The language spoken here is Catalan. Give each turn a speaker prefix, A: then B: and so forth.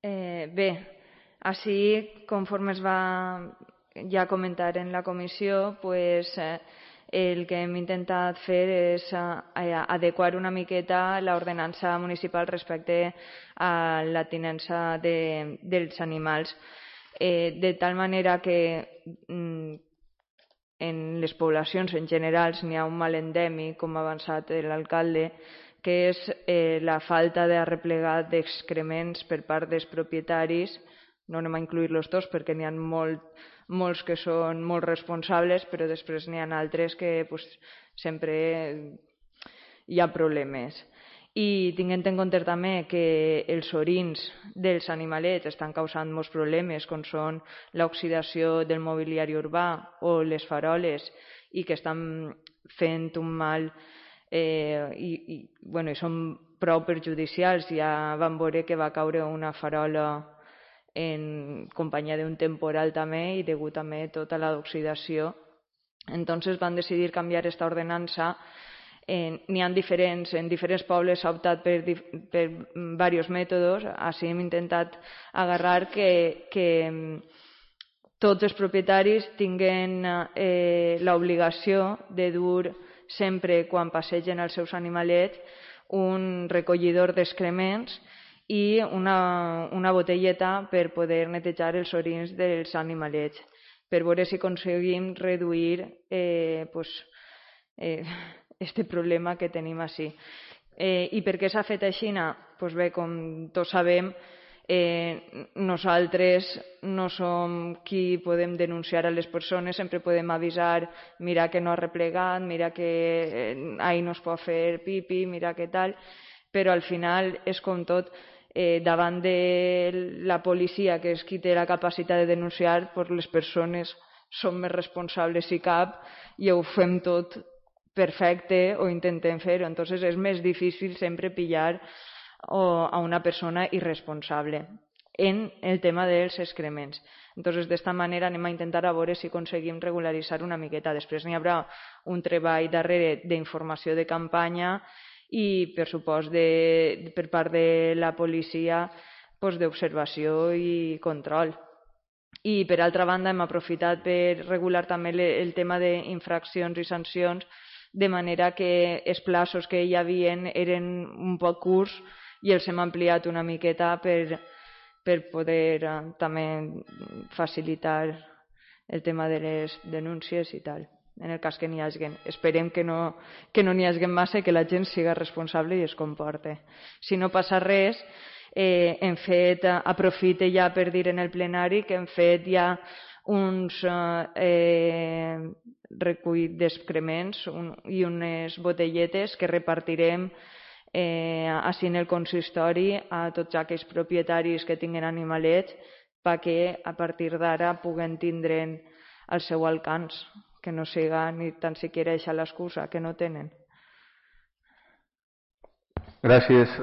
A: Bé, així, conforme es va ja comentar en la comissió, el que hem intentat fer és adequar una miqueta l'ordenança municipal respecte a la tinença dels animals, de tal manera que en les poblacions en general n'hi ha un mal endèmic, com ha avançat l'alcalde, que és la falta d'arreplegar d'excrements per part dels propietaris. No anem a incluir-los tots perquè n'hi ha molts que són molt responsables, però després n'hi ha altres que sempre hi ha problemes. I tinguent en compte també que els orins dels animalets estan causant molts problemes, com són l'oxidació del mobiliari urbà o les faroles, i que estan fent un mal i són prou perjudicials. Ja vam veure que va caure una farola en companyia d'un temporal també, i degut també a tota l'oxidació. Entonces van decidir canviar aquesta ordenança. N'hi ha en diferents pobles s'ha optat per diversos mètodes. Així hem intentat agarrar que tots els propietaris tinguen l'obligació de dur sempre, quan passegen els seus animalets, un recollidor d'excrements i una botelleta per poder netejar els orins dels animalets, per veure si aconseguim reduir este problema que tenim així. I per què s'ha fet així? Bé, com tots sabem, nosaltres no som qui podem denunciar a les persones, sempre podem avisar: mira que no ha replegat, mira que ahí no es pot fer pipi, mira que tal, però al final és com tot, davant de la policia, que és qui té la capacitat de denunciar, les persones som més responsables si cap, i ho fem tot perfecte o intentem fer-ho. Entonces és més difícil sempre pillar a una persona irresponsable en el tema dels excrements. Entonces, d'esta manera anem a intentar a veure si aconseguim regularitzar una miqueta. Després n'hi haurà un treball darrere d'informació de campanya i, per supost, per part de la policia, d'observació i control. I, per altra banda, hem aprofitat per regular també el tema d'infraccions i sancions, de manera que els plaços que hi havien eren un poc curts i els hem ampliat una miqueta per poder també facilitar el tema de les denúncies i tal, en el cas que n'hi hagi. Esperem que no n'hi hagi massa i que la gent siga responsable i es comporte. Si no passa res, hem fet, aprofite ja per dir en el plenari que hem fet ja uns recull d'excrements i unes botelletes que repartirem així en el consistori a tots aquells propietaris que tinguen animalets, perquè a partir d'ara puguen tindre'n al seu alcance, que no siga ni tan siquiera eixa l'excusa que no tenen.
B: Gràcies.